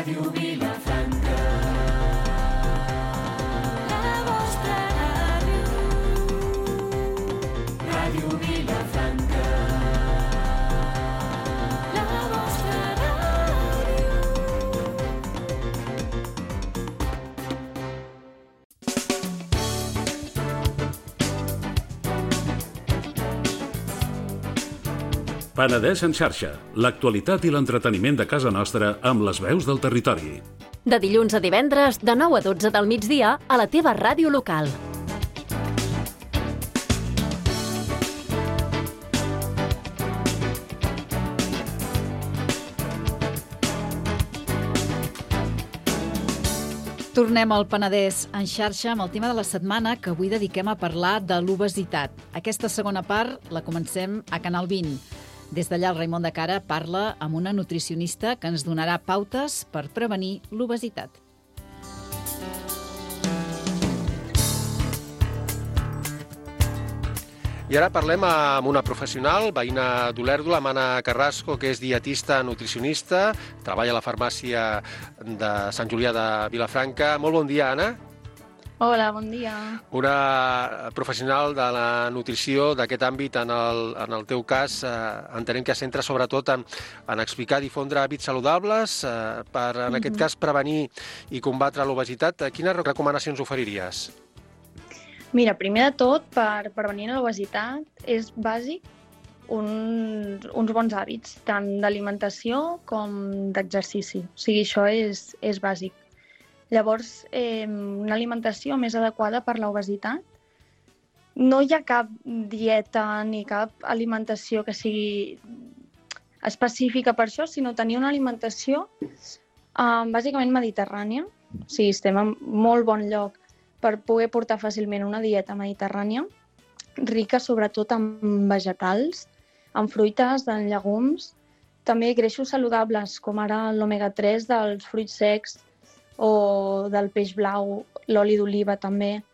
Ràdio Vilafranca. La vostra ràdio. Ràdio Vilafranca. La vostra ràdio. Penedès en xarxa, l'actualitat i l'entreteniment de casa nostra amb les veus del territori. De dilluns a divendres, de 9 a 12 del migdia, a la teva ràdio local. Tornem al Penedès en xarxa amb el tema de la setmana que avui dediquem a parlar de l'obesitat. Aquesta segona part la comencem a Canal 20. Des d'allà el Raimon de Cara parla amb una nutricionista que ens donarà pautes per prevenir l'obesitat. I ara parlem amb una professional, veïna d'Olèrdola, Anna Carrasco, que és dietista, nutricionista, treballa a la farmàcia de Sant Julià de Vilafranca. Molt bon dia, Anna. Hola, bon dia. Una professional de la nutrició d'aquest àmbit, en el teu cas, entenem que es centra sobretot en explicar, difondre hàbits saludables per, en aquest cas, prevenir i combatre l'obesitat. Quines recomanacions oferiries? Mira, primer de tot, per prevenir l'obesitat és bàsic uns bons hàbits, tant d'alimentació com d'exercici. O sigui, això és bàsic. Llavors, una alimentació més adequada per l'obesitat. No hi ha cap dieta ni cap alimentació que sigui específica per això, sinó tenir una alimentació bàsicament mediterrània. O sigui, estem en molt bon lloc per poder portar fàcilment una dieta mediterrània, rica sobretot en vegetals, en fruites, en llegums, també greixos saludables, com ara l'omega-3 dels fruits secs o del peix blau, l'oli d'oliva també.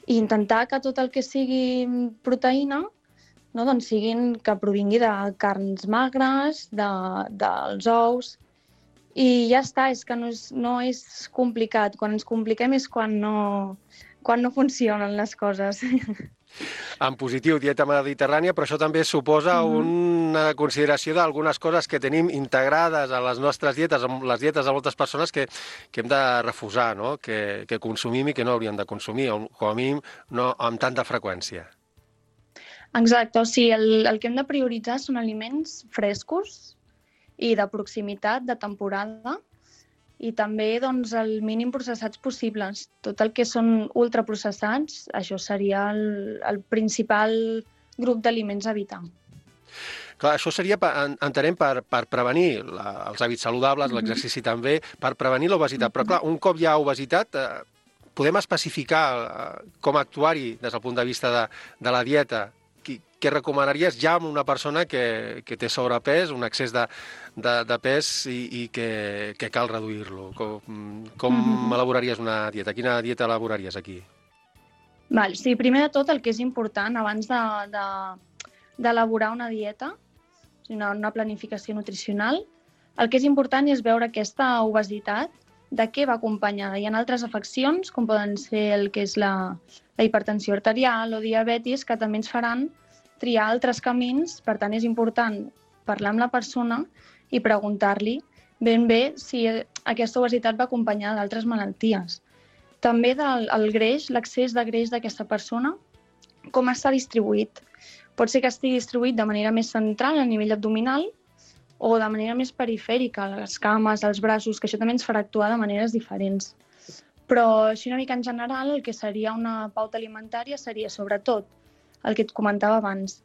I intentar que tot el que sigui proteïna doncs que provingui de carns magres, dels ous. I ja està, és que no és complicat. Quan ens compliquem és quan no funcionen les coses. En positiu, dieta mediterrània, però això també suposa una consideració d'algunes coses que tenim integrades a les nostres dietes, a les dietes de moltes persones que hem de refusar, no? Que consumim i que no hauríem de consumir, o com a mínim no amb tanta freqüència. Exacte, o sigui, el que hem de prioritzar són aliments frescos i de proximitat, de temporada, i també el mínim processats possibles. Tot el que són ultraprocessats, això seria el principal grup d'aliments a evitar. Clar, això seria, entenem, per prevenir els hàbits saludables, l'exercici també, per prevenir l'obesitat. Però clar, un cop hi ha obesitat, podem especificar com actuar-hi des del punt de vista de la dieta. Què recomanaries ja amb una persona que té sobrepès, un excés de pes i que cal reduir-lo? Com elaboraries una dieta? Quina dieta elaboraries aquí? Sí, primer de tot el que és important abans d'elaborar una dieta, una planificació nutricional, el que és important és veure aquesta obesitat, de què va acompanyada. Hi ha altres afeccions, com poden ser el que és la hipertensió arterial o diabetis, que també ens faran triar altres camins. Per tant, és important parlar amb la persona i preguntar-li ben bé si aquesta obesitat va acompanyada d'altres malalties. També el greix, l'excés de greix d'aquesta persona, com està distribuït. Pot ser que estigui distribuït de manera més central a nivell abdominal o de manera més perifèrica, a les cames, als braços, que això també ens farà actuar de maneres diferents. Però així una mica en general, el que seria una pauta alimentària seria sobretot el que et comentava abans,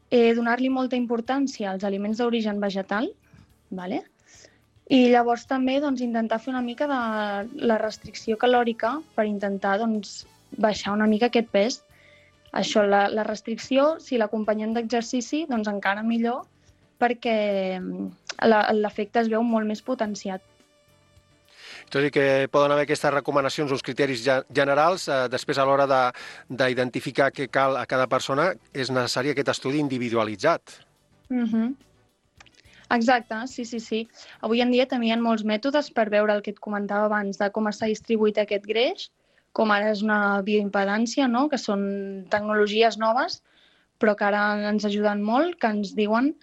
donar-li molta importància als aliments d'origen vegetal, i llavors també intentar fer una mica de la restricció calòrica per intentar baixar una mica aquest pes. Això, la restricció, si l'acompanyem d'exercici, encara millor, perquè l'efecte es veu molt més potenciat. Tot i que poden haver aquestes recomanacions, uns criteris generals, després a l'hora d'identificar què cal a cada persona és necessari aquest estudi individualitzat. Exacte, sí. Avui en dia també hi ha molts mètodes per veure el que et comentava abans de com està distribuït aquest greix, com ara és una bioimpedància, no? Que són tecnologies noves, però que ara ens ajuden molt, que ens diuen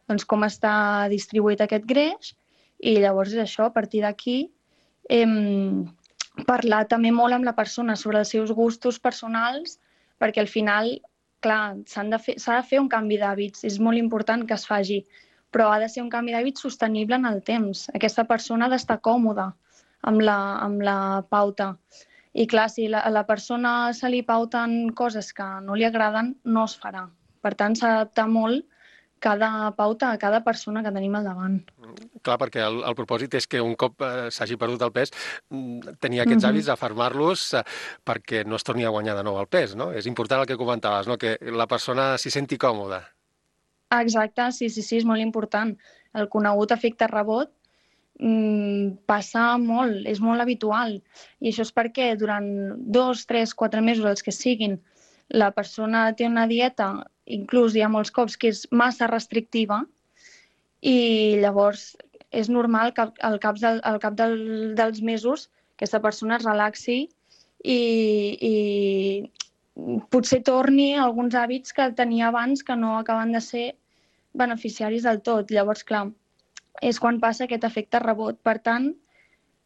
doncs, com està distribuït aquest greix, i llavors és això, a partir d'aquí parlar també molt amb la persona sobre els seus gustos personals, perquè al final, clar, s'ha de fer un canvi d'hàbits, és molt important que es faci, però ha de ser un canvi d'hàbits sostenible en el temps. Aquesta persona ha d'estar còmoda amb la pauta. I clar, si a la persona se li pauten coses que no li agraden, no es farà. Per tant, s'ha d'adaptar molt cada pauta a cada persona que tenim al davant. Clar, perquè el propòsit és que un cop s'hagi perdut el pes, tenir aquests hàbits, afermar-los perquè no es torni a guanyar de nou el pes, no? És important el que comentaves, no? Que la persona s'hi senti còmoda. Exacte, sí, és molt important. El conegut efecte rebot passa molt, és molt habitual. I això és perquè durant 2, 3, 4 mesos, els que siguin, la persona té una dieta, inclús hi ha molts cops que és massa restrictiva, i llavors és normal que al cap dels mesos aquesta persona es relaxi i potser torni a alguns hàbits que tenia abans que no acaben de ser beneficiaris del tot. Llavors, clar, és quan passa aquest efecte rebot. Per tant,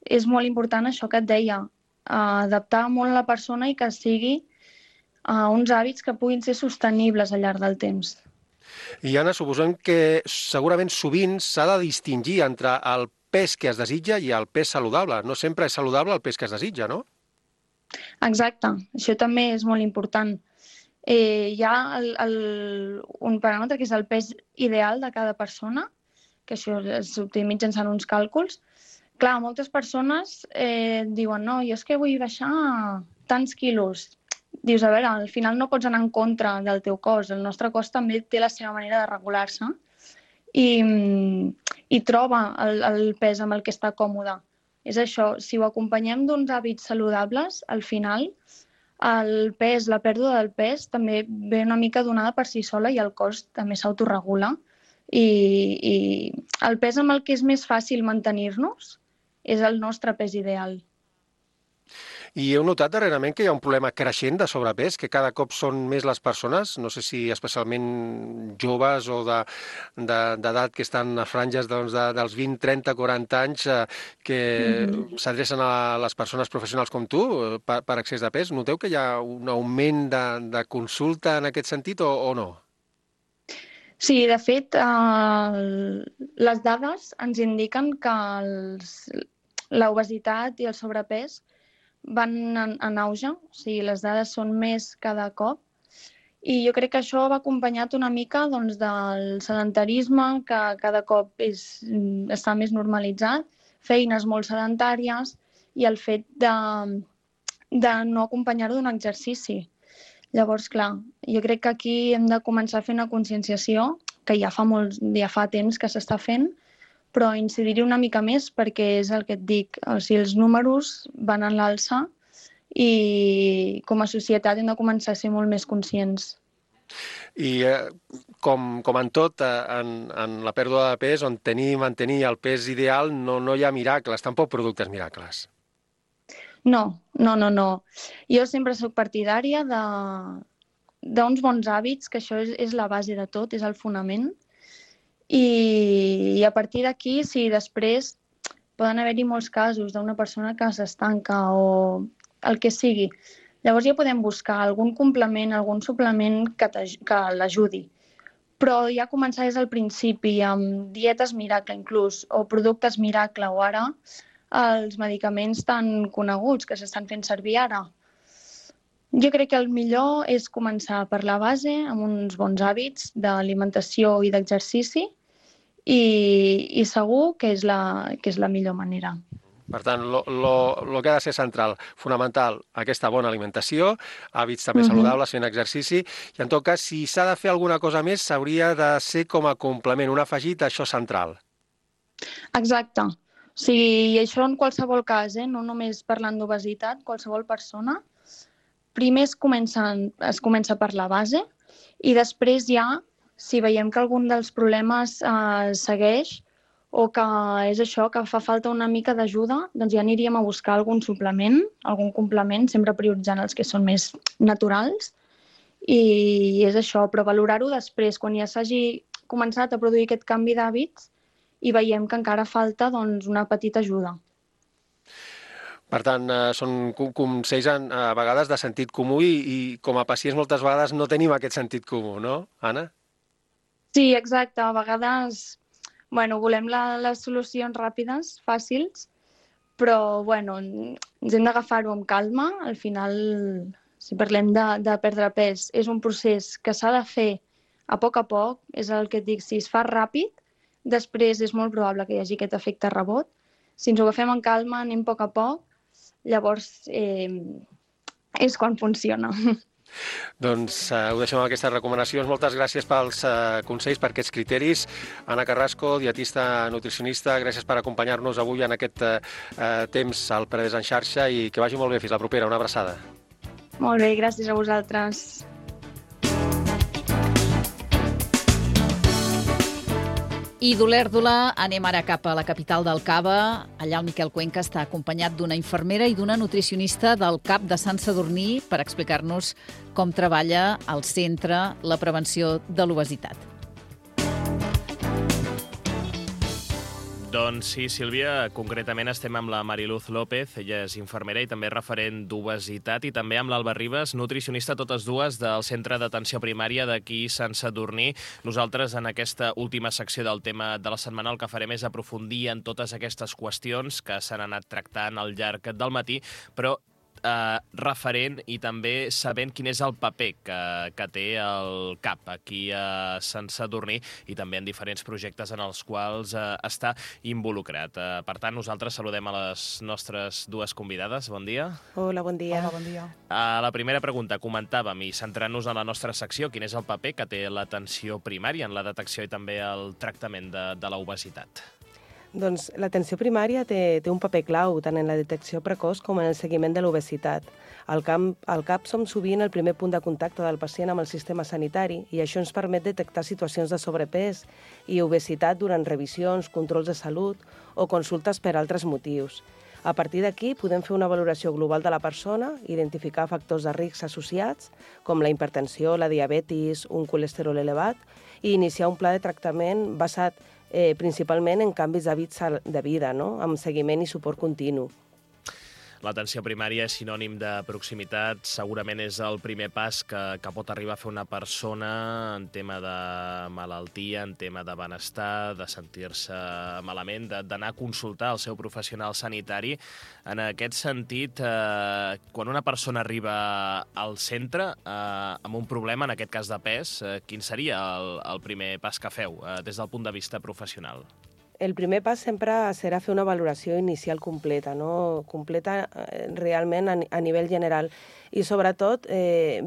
és molt important això que et deia, adaptar molt a la persona i que sigui uns hàbits que puguin ser sostenibles al llarg del temps. I Anna, suposem que segurament sovint s'ha de distingir entre el pes que es desitja i el pes saludable. No sempre és saludable el pes que es desitja, no? Exacte, això també és molt important. Hi ha un paràmetre que és el pes ideal de cada persona, que això s'obté mitjançant uns càlculs. Clar, moltes persones diuen no, jo és que vull baixar tants quilos. Dius, a veure, al final no pots anar en contra del teu cos. El nostre cos també té la seva manera de regular-se i troba el pes amb el que està còmode. És això, si ho acompanyem d'uns hàbits saludables, al final el pes, la pèrdua del pes també ve una mica donada per si sola i el cos també s'autoregula. I el pes amb el que és més fàcil mantenir-nos és el nostre pes ideal. I heu notat darrerament que hi ha un problema creixent de sobrepès, que cada cop són més les persones, no sé si especialment joves o d'edat que estan a franges dels 20, 30, 40 anys, que s'adrecen a les persones professionals com tu per excés de pes. Noteu que hi ha un augment de consulta en aquest sentit o no? Sí, de fet, les dades ens indiquen que l'obesitat i el sobrepès van en auge, o sigui, les dades són més cada cop, i jo crec que això va acompanyat una mica doncs, del sedentarisme, que cada cop està més normalitzat, feines molt sedentàries i el fet de no acompanyar-ho d'un exercici. Llavors, clar, jo crec que aquí hem de començar a fer una conscienciació, que ja fa temps que s'està fent, però incidir-hi una mica més perquè és el que et dic, o sigui, els números van en l'alça i com a societat hem de començar a ser molt més conscients. I com en tot, en la pèrdua de pes, on tenir i mantenir el pes ideal, no hi ha miracles, tampoc productes miracles. No. Jo sempre soc partidària d'uns bons hàbits, que això és la base de tot, és el fonament. I a partir d'aquí, si després poden haver-hi molts casos d'una persona que s'estanca o el que sigui, llavors ja podem buscar algun complement, algun suplement que l'ajudi. Però ja començar des del principi amb dietes miracle inclús, o productes miracle, o ara els medicaments tan coneguts que s'estan fent servir ara. Jo crec que el millor és començar per la base, amb uns bons hàbits d'alimentació i d'exercici, i segur que és la millor manera. Per tant, el que ha de ser central, fonamental, aquesta bona alimentació, hàbits també saludables, fent exercici, i en tot cas, si s'ha de fer alguna cosa més, s'hauria de ser com a complement, un afegit a això central. Exacte. O sigui, això en qualsevol cas, no només parlant d'obesitat, qualsevol persona, primer es comença per la base i després ja Si veiem que algun dels problemes segueix o que és això, que fa falta una mica d'ajuda, doncs ja aniríem a buscar algun suplement, algun complement, sempre prioritzant els que són més naturals. I és això, però valorar-ho després, quan ja s'hagi començat a produir aquest canvi d'hàbits i veiem que encara falta doncs, una petita ajuda. Per tant, són consells a vegades de sentit comú i com a pacients moltes vegades no tenim aquest sentit comú, no, Anna? Sí, exacte. A vegades volem les solucions ràpides, fàcils, però ens hem d'agafar-ho amb calma. Al final, si parlem de perdre pes, és un procés que s'ha de fer a poc, és el que et dic, si es fa ràpid, després és molt probable que hi hagi aquest efecte rebot. Si ens ho agafem amb calma, anem a poc, llavors és quan funciona. Doncs ho deixem amb aquestes recomanacions. Moltes gràcies pels consells, per aquests criteris. Anna Carrasco, dietista nutricionista, gràcies per acompanyar-nos avui en aquest temps al Penedès en xarxa i que vagi molt bé. Fins la propera. Una abraçada. Molt bé, gràcies a vosaltres. I d'Olèrdola anem ara cap a la capital del Cava. Allà el Miquel Cuenca està acompanyat d'una infermera i d'una nutricionista del CAP de Sant Sadurní per explicar-nos com treballa al centre la prevenció de l'obesitat. Doncs sí, Sílvia, concretament estem amb la Mariluz López, ella és infermera i també referent d'obesitat, i també amb l'Alba Ribas, nutricionista, totes dues del Centre d'Atenció Primària d'aquí Sant Sadurní. Nosaltres, en aquesta última secció del tema de la setmana, el que farem és aprofundir en totes aquestes qüestions que s'han anat tractant al llarg del matí, però referent i també sabent quin és el paper que té el CAP aquí a Sant Sadurní i també en diferents projectes en els quals està involucrat. Per tant, nosaltres saludem a les nostres dues convidades. Bon dia. Hola, bon dia. Hola, bon dia. La primera pregunta, comentàvem, i centrant-nos en la nostra secció, quin és el paper que té l'atenció primària en la detecció i també el tractament de l'obesitat? Doncs l'atenció primària té un paper clau tant en la detecció precoç com en el seguiment de l'obesitat. Al CAP som sovint el primer punt de contacte del pacient amb el sistema sanitari i això ens permet detectar situacions de sobrepès i obesitat durant revisions, controls de salut o consultes per altres motius. A partir d'aquí podem fer una valoració global de la persona, identificar factors de risc associats com la hipertensió, la diabetis, un colesterol elevat i iniciar un pla de tractament basat principalment en canvis d'hàbits de vida, no? Amb seguiment i suport continu. L'atenció primària és sinònim de proximitat, segurament és el primer pas que pot arribar a fer una persona en tema de malaltia, en tema de benestar, de sentir-se malament, d'anar a consultar el seu professional sanitari. En aquest sentit, quan una persona arriba al centre amb un problema, en aquest cas de pes, quin seria el primer pas que feu des del punt de vista professional? El primer pas sempre serà fer una valoració inicial completa, no? Completa realment a nivell general i sobretot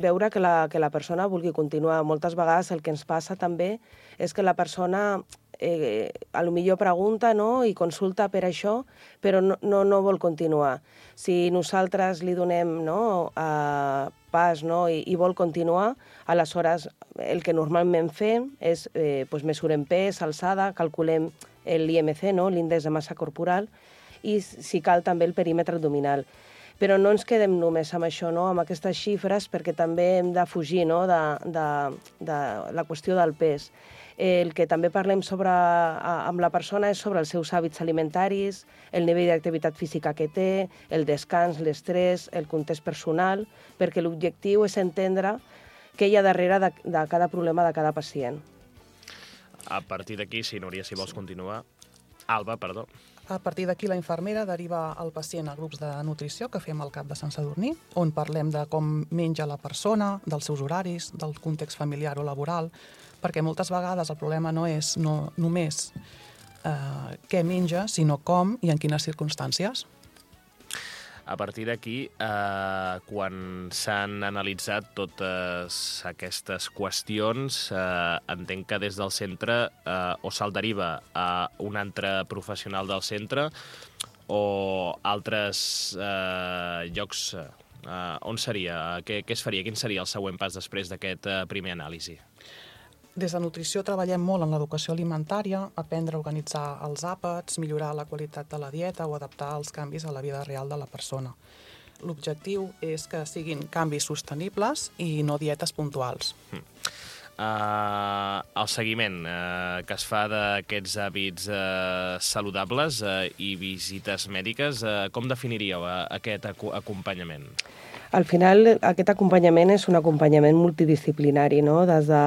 veure que la persona vulgui continuar. Moltes vegades el que ens passa també és que la persona a lo millor pregunta, no? I consulta per això, però no vol continuar. Si nosaltres li donem, no? Pas, no? I vol continuar, aleshores el que normalment fem és mesurem pes, alçada, calculem l'IMC, no? L'índex de massa corporal, i si cal també el perímetre abdominal. Però no ens quedem només amb això, no? Amb aquestes xifres, perquè també hem de fugir, no? de la qüestió del pes. El que també parlem amb la persona és sobre els seus hàbits alimentaris, el nivell d'activitat física que té, el descans, l'estrès, el context personal, perquè l'objectiu és entendre què hi ha darrere de cada problema de cada pacient. A partir d'aquí, si Núria, si vols continuar... Alba, perdó. A partir d'aquí, la infermera deriva el pacient a grups de nutrició que fem al CAP de Sant Sadurní, on parlem de com menja la persona, dels seus horaris, del context familiar o laboral, perquè moltes vegades el problema no és només què menja, sinó com i en quines circumstàncies. A partir d'aquí, quan s'han analitzat totes aquestes qüestions, entenc que des del centre o se'l deriva a un altre professional del centre o altres llocs. On seria? Què es faria? Quin seria el següent pas després d'aquest primer anàlisi? Des de nutrició treballem molt en l'educació alimentària, aprendre a organitzar els àpats, millorar la qualitat de la dieta o adaptar els canvis a la vida real de la persona. L'objectiu és que siguin canvis sostenibles i no dietes puntuals. El seguiment que es fa d'aquests hàbits saludables i visites mèdiques, com definiríeu aquest acompanyament? Al final, aquest acompanyament és un acompanyament multidisciplinari, no? Des de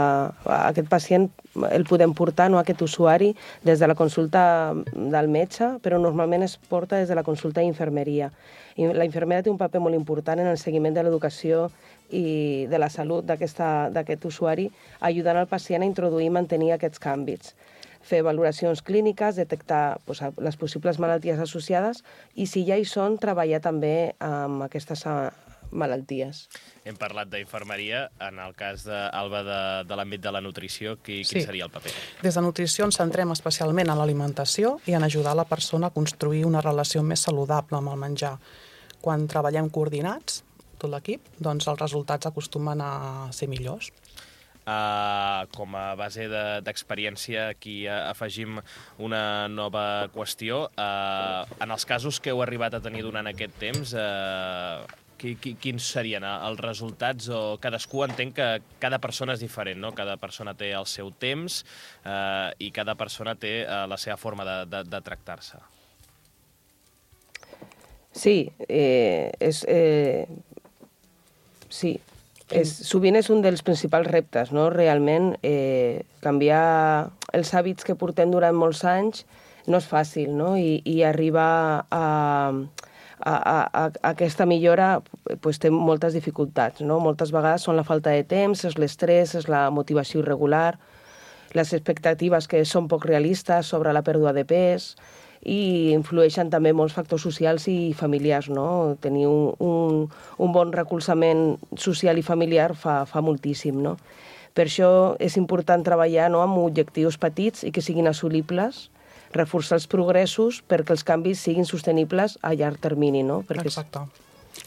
aquest pacient el podem portar, no, aquest usuari, des de la consulta del metge, però normalment es porta des de la consulta d'infermeria. I la infermera té un paper molt important en el seguiment de l'educació i de la salut d'aquest usuari, ajudant al pacient a introduir i mantenir aquests canvis. Fer valoracions clíniques, detectar les possibles malalties associades i, si ja hi són, treballar també amb aquestes malalties. Hem parlat d'infermeria. En el cas d'Alba de l'àmbit de la nutrició, quin seria el paper? Des de nutrició ens centrem especialment en l'alimentació i en ajudar la persona a construir una relació més saludable amb el menjar. Quan treballem coordinats, tot l'equip, doncs els resultats acostumen a ser millors. Com a base d'experiència, aquí afegim una nova qüestió. En els casos que heu arribat a tenir durant aquest temps, quins serien els resultats? O cadascú entén que cada persona és diferent, no? Cada persona té el seu temps i cada persona té la seva forma de tractar-se. Sí, sovint és un dels principals reptes, no? Realment, canviar els hàbits que portem durant molts anys no és fàcil, no? I arribar a aquesta millora té moltes dificultats, no? Moltes vegades són la falta de temps, és l'estrès, és la motivació irregular, les expectatives que són poc realistes sobre la pèrdua de pes, i influeixen també molts factors socials i familiars, no? Tenir un bon recolzament social i familiar fa moltíssim, no? Per això és important treballar, no, amb objectius petits i que siguin assolibles, reforçar els progressos perquè els canvis siguin sostenibles a llarg termini, no? Exacte.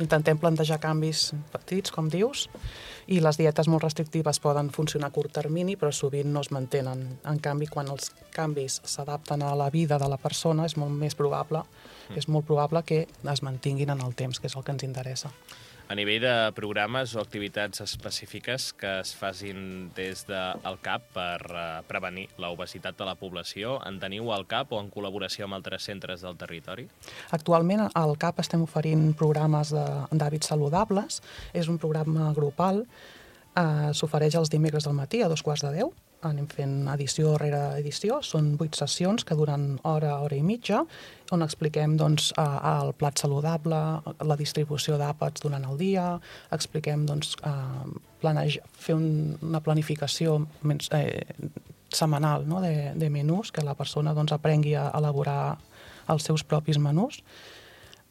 Intentem plantejar canvis petits, com dius, i les dietes molt restrictives poden funcionar a curt termini, però sovint no es mantenen. En canvi, quan els canvis s'adapten a la vida de la persona, és molt probable que es mantinguin en el temps, que és el que ens interessa. A nivell de programes o activitats específiques que es facin des del CAP per prevenir l'obesitat de la població, en teniu al CAP o en col·laboració amb altres centres del territori? Actualment al CAP estem oferint programes d'hàbits saludables. És un programa grupal, s'ofereix els dimecres del matí a 9:45. Anem fent edició rere edició. Són 8 sessions que duren hora i mitja, on expliquem el plat saludable, la distribució d'àpats durant el dia, expliquem fer una planificació setmanal, no, de menús, que la persona aprengui a elaborar els seus propis menús,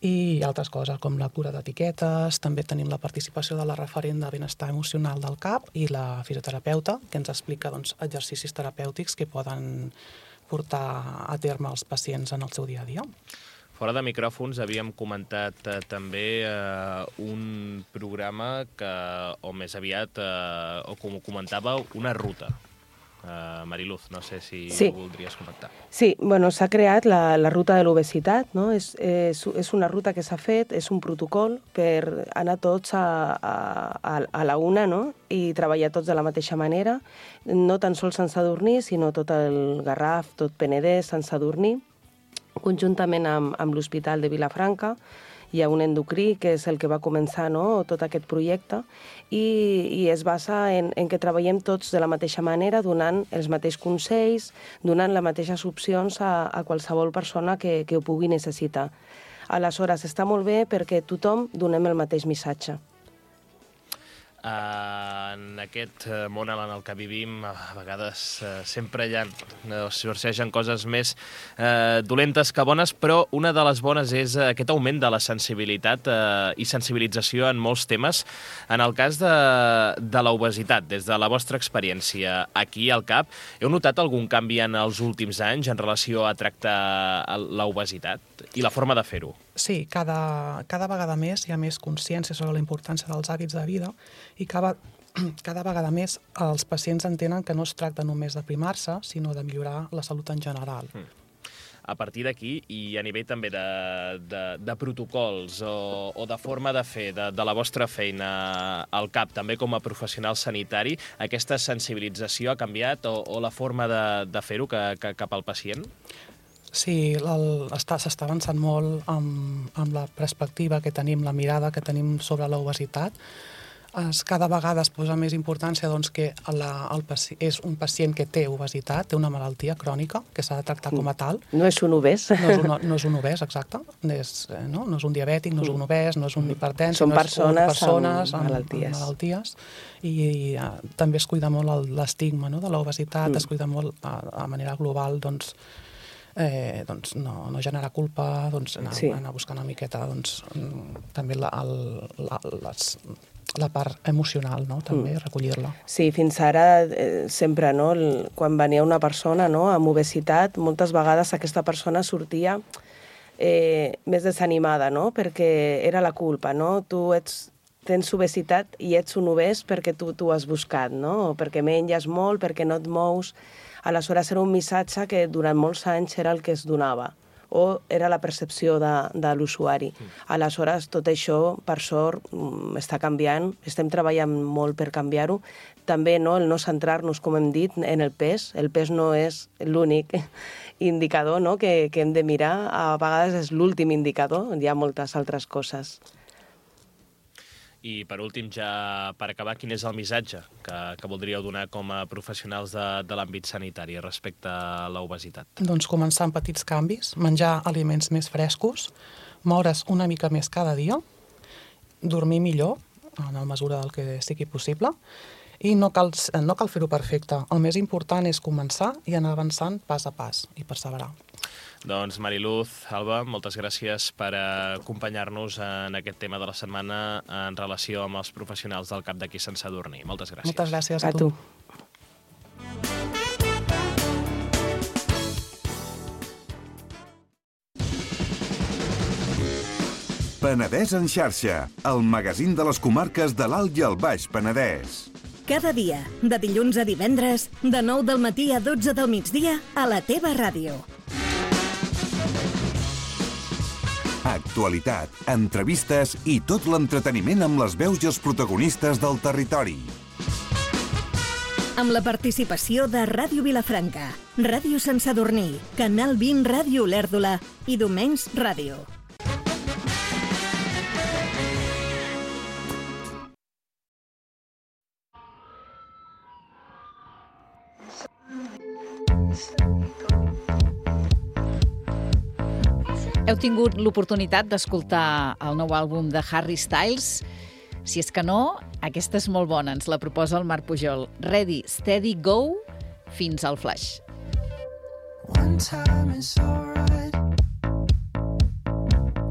i altres coses com lectura d'etiquetes. També tenim la participació de la referent de benestar emocional del CAP i la fisioterapeuta, que ens explica exercicis terapèutics que poden portar a terme els pacients en el seu dia a dia. Fora de micròfons havíem comentat també un programa o més aviat, o com ho comentàveu, una ruta. Mariluz, no sé si ho voldries comentar. Sí, s'ha creat la ruta de l'obesitat, no? És una ruta que s'ha fet, és un protocol per anar tots a la una, no? I treballar tots de la mateixa manera, no tan sols Sant Sadurní, sinó tot el Garraf, tot Penedès, Sant Sadurní, conjuntament amb l'Hospital de Vilafranca. Hi ha un endocrí, que és el que va començar, no, tot aquest projecte, i es basa en que treballem tots de la mateixa manera, donant els mateixos consells, donant les mateixes opcions a qualsevol persona que ho pugui necessitar. Aleshores, està molt bé perquè tothom donem el mateix missatge. En aquest món en el que vivim, a vegades sempre sorgeixen coses més dolentes que bones, però una de les bones és aquest augment de la sensibilitat i sensibilització en molts temes. En el cas de l'obesitat, des de la vostra experiència aquí al CAP, heu notat algun canvi en els últims anys en relació a tractar l'obesitat i la forma de fer-ho? Sí, cada vegada més hi ha més consciència sobre la importància dels hàbits de vida i cada cada vegada més els pacients entenen que no es tracta només d'aprimar-se, sinó de millorar la salut en general. A partir d'aquí, i a nivell també de protocols o de forma de fer de la vostra feina al CAP, també com a professional sanitari, aquesta sensibilització ha canviat o la forma de fer-ho cap al pacient? Sí, s'està avançant molt amb la perspectiva que tenim, la mirada que tenim sobre l'obesitat. Cada vegada es posa més importància que és un pacient que té obesitat, té una malaltia crònica que s'ha de tractar com a tal. No és un obès. No és un obès, exacte. No és un diabètic, no és un obès, no és un hipertens. Són persones amb malalties. I també es cuida molt l'estigma de l'obesitat, es cuida molt a manera global, no generar culpa, anar buscant una miqueta també la part emocional, també, recollir-la. Sí, fins ara sempre, quan venia una persona amb obesitat, moltes vegades aquesta persona sortia més desanimada, perquè era la culpa, tu tens obesitat i ets un obès perquè tu t'ho has buscat, o perquè menges molt, perquè no et mous. Aleshores era un missatge que durant molts anys era el que es donava, o era la percepció de l'usuari. Aleshores, tot això, per sort, està canviant, estem treballant molt per canviar-ho. També el no centrar-nos, com hem dit, en el pes. El pes no és l'únic indicador que hem de mirar, a vegades és l'últim indicador, hi ha moltes altres coses. I, per últim, ja per acabar, quin és el missatge que voldríeu donar com a professionals de l'àmbit sanitari respecte a l'obesitat? Doncs començar amb petits canvis, menjar aliments més frescos, moure's una mica més cada dia, dormir millor, en la mesura del que sigui possible, i no cal fer-ho perfecte. El més important és començar i anar avançant pas a pas i perseverar. Doncs Mariluz, Alba, moltes gràcies per acompanyar-nos en aquest tema de la setmana en relació amb els professionals del CAP d'aquí Sant Sadurní. Moltes gràcies. Moltes gràcies a tu. Penedès en xarxa, el magazín de les comarques de l'Alt i el Baix Penedès. Cada dia, de dilluns a divendres, de 9 del matí a 12 del migdia, a la teva ràdio. Actualitat, entrevistes i tot l'entreteniment amb les veus i els protagonistes del territori. Amb la participació de Ràdio Vilafranca, Ràdio Sant Sadurní, Canal 20 Ràdio Olèrdola i Domenys Ràdio. Heu tingut l'oportunitat d'escoltar el nou àlbum de Harry Styles? Si és que no, aquesta és molt bona, ens la proposa el Marc Pujol. Ready, Steady, Go, fins al flash. One time is alright.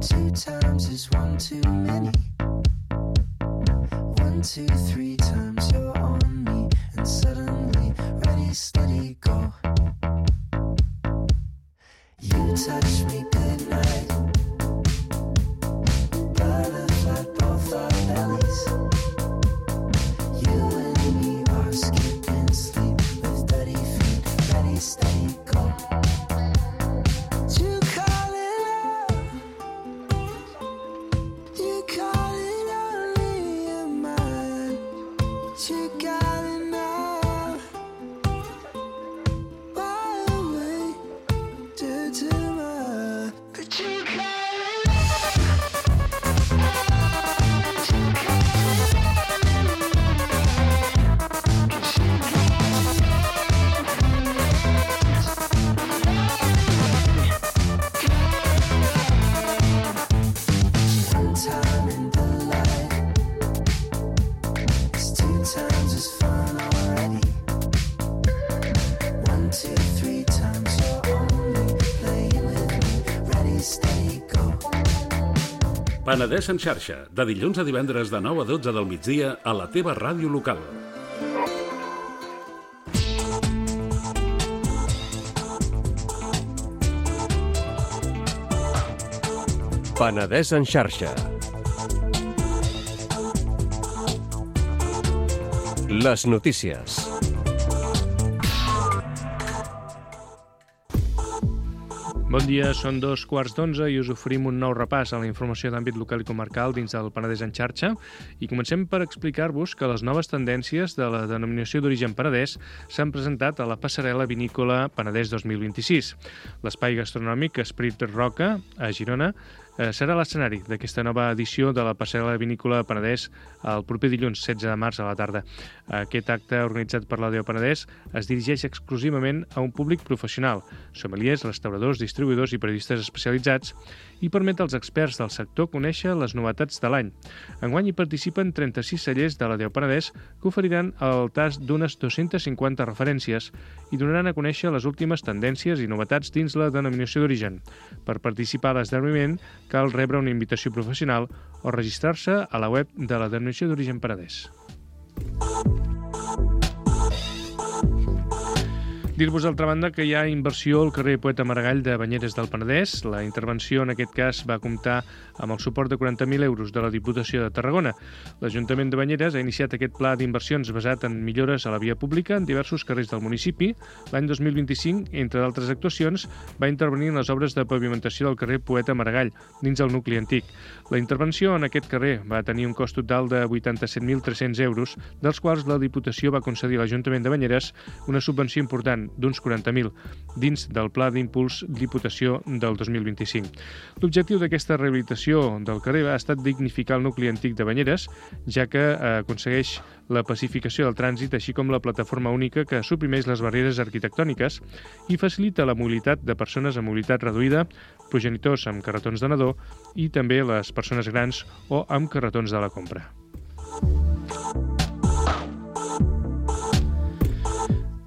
Two times is one too many. 1, 2, 3 times you're on me, and suddenly ready, steady, go. You touch me goodnight. Butterfly both our bellies. You and me are skipping sleep with dirty feet. Ready, steady, go. You call it love. You call it only your mind. You got it now. Why away? To my, but you got it. One time in the light, it's 2 times as fun already. 1, 2, 3 times you're only playing with me. Ready, steady, go. Penedès en xarxa, de dilluns a divendres de 9 a 12 del migdia a la teva ràdio local. Penedès en xarxa. Les notícies. Bon dia, són 2:15 i us oferim un nou repàs a la informació d'àmbit local i comarcal dins del Penedès en xarxa i comencem per explicar-vos que les noves tendències de la denominació d'origen Penedès s'han presentat a la passarel·la vinícola Penedès 2026. L'espai gastronòmic Esprit Roca, a Girona, serà l'escenari d'aquesta nova edició de la passarel·la vinícola Penedès el proper dilluns 16 de març a la tarda. Aquest acte, organitzat per l'ADO Penedès, es dirigeix exclusivament a un públic professional, sommeliers, restauradors, distribuïdors i periodistes especialitzats, i permet als experts del sector conèixer les novetats de l'any. Enguany hi participen 36 cellers de l'ADO Penedès que oferiran el tast d'unes 250 referències i donaran a conèixer les últimes tendències i novetats dins la denominació d'origen. Per participar a l'esdeveniment cal rebre una invitació professional o registrar-se a la web de la denominació d'origen Penedès. Dir-vos, d'altra banda, que hi ha inversió al carrer Poeta Maragall de Banyeres del Penedès. La intervenció, en aquest cas, va comptar amb el suport de 40.000 euros de la Diputació de Tarragona. L'Ajuntament de Banyeres ha iniciat aquest pla d'inversions basat en millores a la via pública en diversos carrers del municipi. L'any 2025, entre d'altres actuacions, va intervenir en les obres de pavimentació del carrer Poeta Maragall, dins el nucli antic. La intervenció en aquest carrer va tenir un cost total de 87.300 euros, dels quals la Diputació va concedir a l'Ajuntament de Banyeres una subvenció important d'uns 40.000 dins del Pla d'Impuls Diputació del 2025. L'objectiu d'aquesta rehabilitació del carrer ha estat dignificar el nucli antic de Banyeres, ja que aconsegueix la pacificació del trànsit, així com la plataforma única que suprimeix les barreres arquitectòniques i facilita la mobilitat de persones amb mobilitat reduïda, progenitors amb carretons de nadó i també les persones grans o amb carretons de la compra.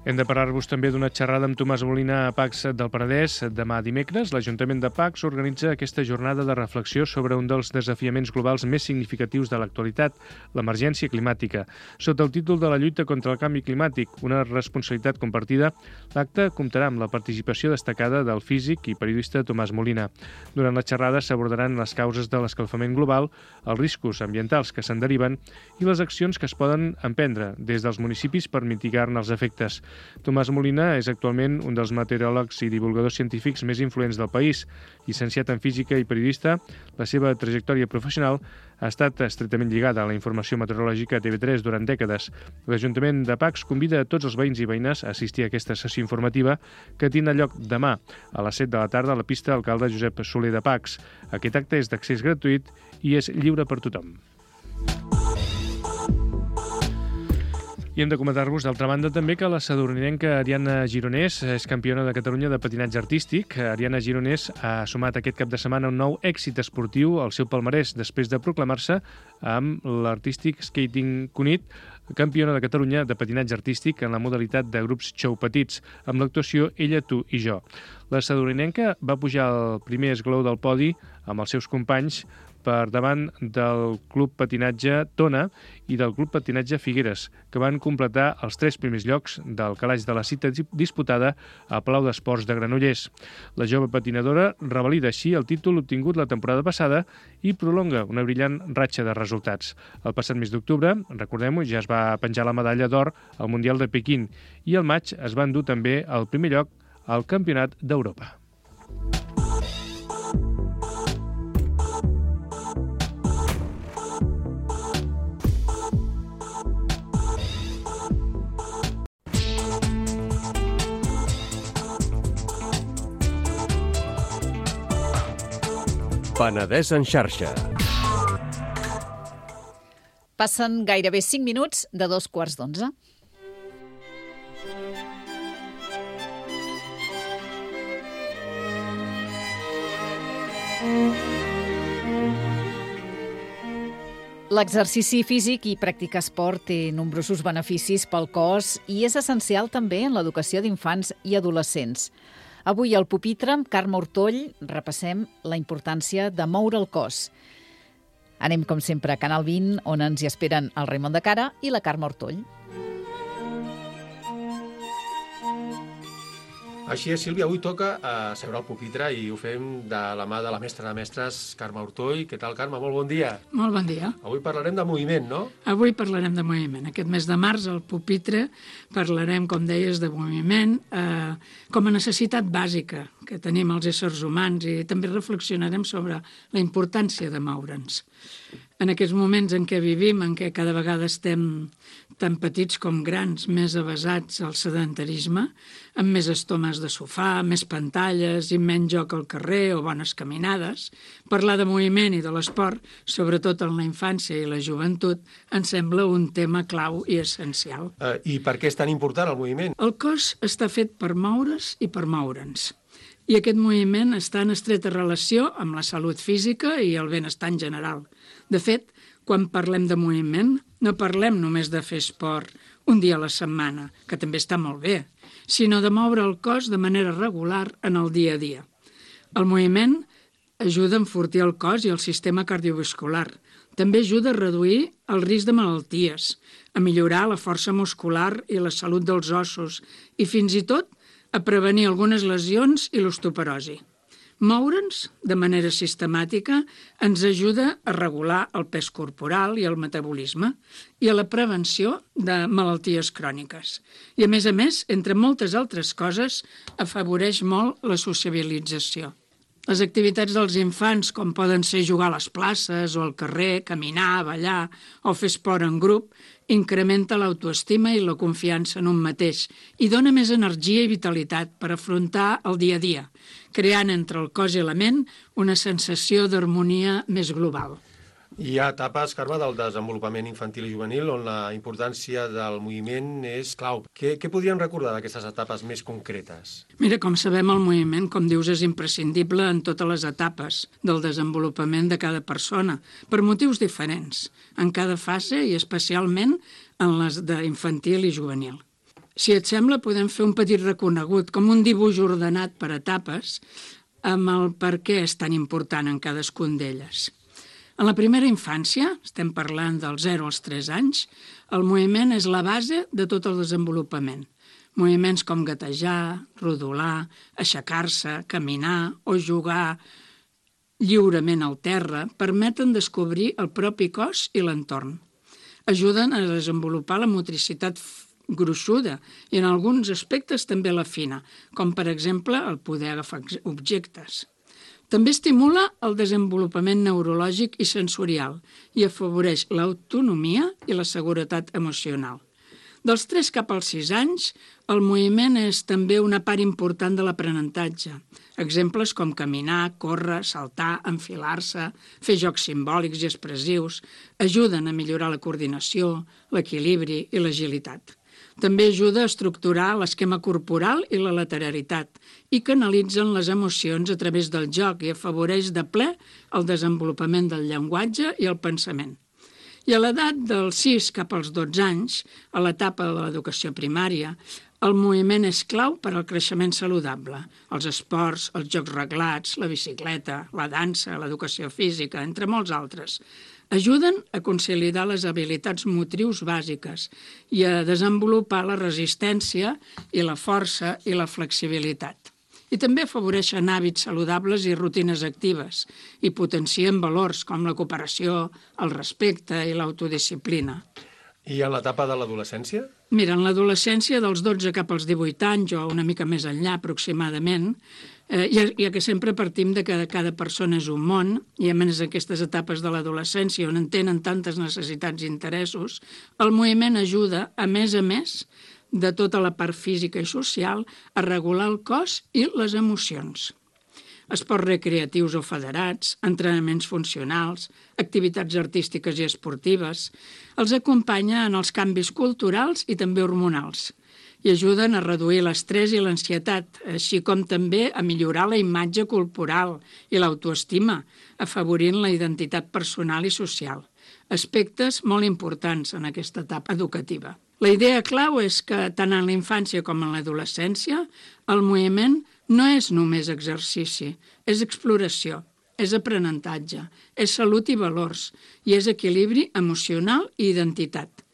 Hem de parlar-vos també d'una xerrada amb Tomàs Molina a Pacs del Penedès. Demà dimecres, l'Ajuntament de Pacs organitza aquesta jornada de reflexió sobre un dels desafiaments globals més significatius de l'actualitat, l'emergència climàtica. Sota el títol de la lluita contra el canvi climàtic, una responsabilitat compartida, l'acte comptarà amb la participació destacada del físic i periodista Tomàs Molina. Durant la xerrada s'abordaran les causes de l'escalfament global, els riscos ambientals que se'n deriven i les accions que es poden emprendre des dels municipis per mitigar-ne els efectes. Tomàs Molina és actualment un dels meteoròlegs i divulgadors científics més influents del país. Llicenciat en física i periodista, la seva trajectòria professional ha estat estretament lligada a la informació meteorològica a TV3 durant dècades. L'Ajuntament de Pacs convida a tots els veïns i veïnes a assistir a aquesta sessió informativa que tindrà lloc demà a les 7 de la tarda a la pista Alcalde Josep Soler de Pacs. Aquest acte és d'accés gratuït i és lliure per tothom. I hem de comentar-vos, d'altra banda, també que la sadurninenca Ariana Gironès és campiona de Catalunya de patinatge artístic. Ariana Gironès ha sumat aquest cap de setmana un nou èxit esportiu al seu palmarès després de proclamar-se amb l'Artistic Skating Cunit campiona de Catalunya de patinatge artístic en la modalitat de grups xou petits, amb l'actuació Ella, tu i jo. La sadurninenca va pujar al primer esglaó del podi amb els seus companys per davant del Club Patinatge Tona i del Club Patinatge Figueres, que van completar els 3 primers llocs del calaix de la cita disputada a Palau d'Esports de Granollers. La jove patinadora revalida així el títol obtingut la temporada passada i prolonga una brillant ratxa de resultats. El passat mes d'octubre, recordem-ho, ja es va penjar la medalla d'or al Mundial de Pequín i al maig es va endur també el primer lloc al Campionat d'Europa. Penedès en xarxa. Passen gairebé 5 minuts de 2:15. L'exercici físic i practicar esport té nombrosos beneficis pel cos i és essencial també en l'educació d'infants i adolescents. Avui al pupitre, amb Carme Ortoll, repassem la importància de moure el cos. Anem, com sempre, a Canal 20, on ens hi esperen el Raimon de Cara i la Carme Ortoll. Així és, Sílvia, avui toca seure al pupitre i ho fem de la mà de la mestra de mestres, Carme Ortoll. Què tal, Carme? Molt bon dia. Molt bon dia. Avui parlarem de moviment, no? Avui parlarem de moviment. Aquest mes de març, al pupitre, parlarem, com deies, de moviment com a necessitat bàsica que tenim els éssers humans i també reflexionarem sobre la importància de moure'ns. En aquests moments en què vivim, en què cada vegada estem tan petits com grans, més avasats al sedentarisme, amb més estomes de sofà, més pantalles i menys joc al carrer o bones caminades, parlar de moviment i de l'esport, sobretot en la infància i la joventut, ens sembla un tema clau i essencial. I per què és tan important el moviment? El cos està fet per moure's i per moure'ns. I aquest moviment està en estreta relació amb la salut física i el benestar en general. De fet, quan parlem de moviment, no parlem només de fer esport un dia a la setmana, que també està molt bé, sinó de moure el cos de manera regular en el dia a dia. El moviment ajuda a enfortir el cos i el sistema cardiovascular. També ajuda a reduir el risc de malalties, a millorar la força muscular i la salut dels ossos i fins i tot a prevenir algunes lesions i l'osteoporosi. Moure'ns de manera sistemàtica ens ajuda a regular el pes corporal i el metabolisme i a la prevenció de malalties cròniques. I a més, entre moltes altres coses, afavoreix molt la sociabilització. Les activitats dels infants, com poden ser jugar a les places o al carrer, caminar, ballar o fer esport en grup, incrementa l'autoestima i la confiança en un mateix i dona més energia i vitalitat per afrontar el dia a dia, creant entre el cos i la ment una sensació d'harmonia més global. Hi ha etapes, Carme, del desenvolupament infantil i juvenil on la importància del moviment és clau. Què podríem recordar d'aquestes etapes més concretes? Mira, com sabem, el moviment, com dius, és imprescindible en totes les etapes del desenvolupament de cada persona, per motius diferents, en cada fase i especialment en les d'infantil i juvenil. Si et sembla, podem fer un petit reconegut, com un dibuix ordenat per etapes, amb el per què és tan important en cadascun d'elles. En la primera infància, estem parlant dels 0 als 3 anys, el moviment és la base de tot el desenvolupament. Moviments com gatejar, rodolar, aixecar-se, caminar o jugar lliurement al terra permeten descobrir el propi cos i l'entorn. Ajuden a desenvolupar la motricitat gruixuda i en alguns aspectes també la fina, com per exemple el poder agafar objectes. També estimula el desenvolupament neurològic i sensorial i afavoreix l'autonomia i la seguretat emocional. Dels 3 cap als 6 anys, el moviment és també una part important de l'aprenentatge. Exemples com caminar, córrer, saltar, enfilar-se, fer jocs simbòlics i expressius ajuden a millorar la coordinació, l'equilibri i l'agilitat. També ajuda a estructurar l'esquema corporal i la lateralitat i canalitzen les emocions a través del joc i afavoreix de ple el desenvolupament del llenguatge i el pensament. I a l'edat dels 6 cap als 12 anys, a l'etapa de l'educació primària, el moviment és clau per al creixement saludable. Els esports, els jocs reglats, la bicicleta, la dansa, l'educació física, entre molts altres, ajuden a consolidar les habilitats motrius bàsiques i a desenvolupar la resistència i la força i la flexibilitat. I també afavoreixen hàbits saludables i rutines actives i potencien valors com la cooperació, el respecte i l'autodisciplina. I en l'etapa de l'adolescència? Mira, en l'adolescència, dels 12 cap als 18 anys, o una mica més enllà aproximadament, ja que sempre partim de que cada persona és un món, i a més aquestes etapes de l'adolescència on en tenen tantes necessitats i interessos, el moviment ajuda, a més de tota la part física i social, a regular el cos i les emocions. Esports recreatius o federats, entrenaments funcionals, activitats artístiques i esportives, els acompanya en els canvis culturals i també hormonals i ajuden a reduir l'estrès i l'ansietat, així com també a millorar la imatge corporal i l'autoestima, afavorint la identitat personal i social. Aspectes molt importants en aquesta etapa educativa. La idea clau és que tant en la infància com en l'adolescència el moviment no és només exercici, és exploració, és aprenentatge, és salut i valors, i és equilibri emocional i identitat.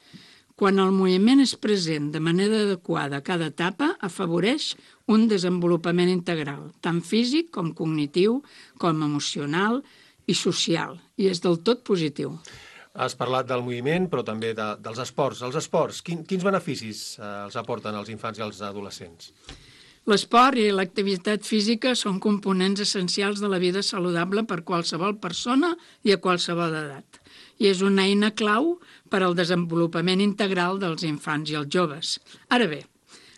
Quan el moviment és present de manera adequada a cada etapa, afavoreix un desenvolupament integral, tant físic com cognitiu, com emocional i social, i és del tot positiu. Has parlat del moviment, però també dels esports. Els esports, quins beneficis els aporten als infants i als adolescents? L'esport i l'activitat física són components essencials de la vida saludable per qualsevol persona i a qualsevol edat. I és una eina clau per al desenvolupament integral dels infants i els joves. Ara bé,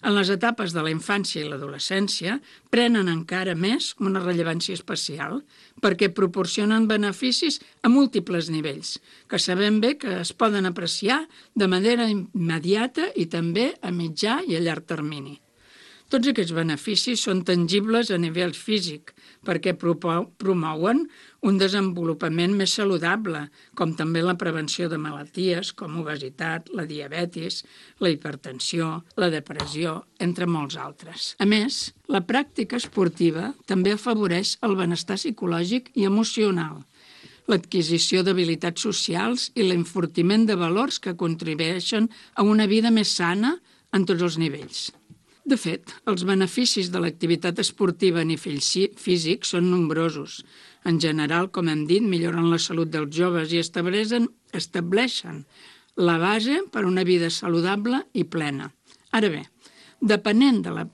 en les etapes de la infància i l'adolescència prenen encara més una rellevància especial perquè proporcionen beneficis a múltiples nivells, que sabem bé que es poden apreciar de manera immediata i també a mitjà i a llarg termini. Tots aquests beneficis són tangibles a nivell físic perquè promouen un desenvolupament més saludable, com també la prevenció de malalties com obesitat, la diabetis, la hipertensió, la depressió, entre molts altres. A més, la pràctica esportiva també afavoreix el benestar psicològic i emocional, l'adquisició d'habilitats socials i l'enfortiment de valors que contribueixen a una vida més sana en tots els nivells. De fet, els beneficis de l'activitat esportiva a nivell físic són nombrosos. En general, com hem dit, milloren la salut dels joves i estableixen la base per a una vida saludable i plena. Ara bé, depenent de la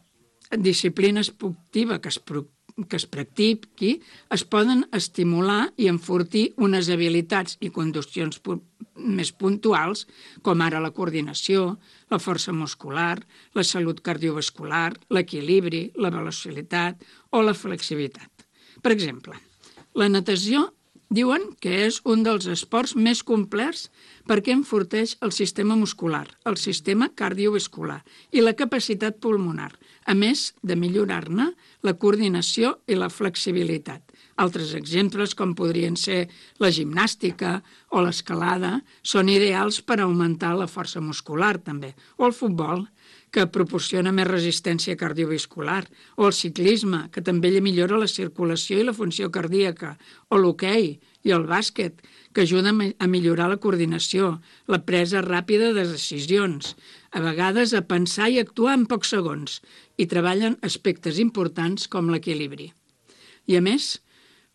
disciplina esportiva que es practiqui, es poden estimular i enfortir unes habilitats i condicions més puntuals, com ara la coordinació, la força muscular, la salut cardiovascular, l'equilibri, la velocitat o la flexibilitat. Per exemple, la natació diuen que és un dels esports més complets perquè enforteix el sistema muscular, el sistema cardiovascular i la capacitat pulmonar, a més de millorar-ne la coordinació i la flexibilitat. Altres exemples, com podrien ser la gimnàstica o l'escalada, són ideals per augmentar la força muscular, també. O el futbol, que proporciona més resistència cardiovascular, o el ciclisme, que també millora la circulació i la funció cardíaca, o l'hoquei i el bàsquet, que ajuden a millorar la coordinació, la presa ràpida de decisions, a vegades a pensar i actuar en pocs segons, i treballen aspectes importants com l'equilibri. I a més,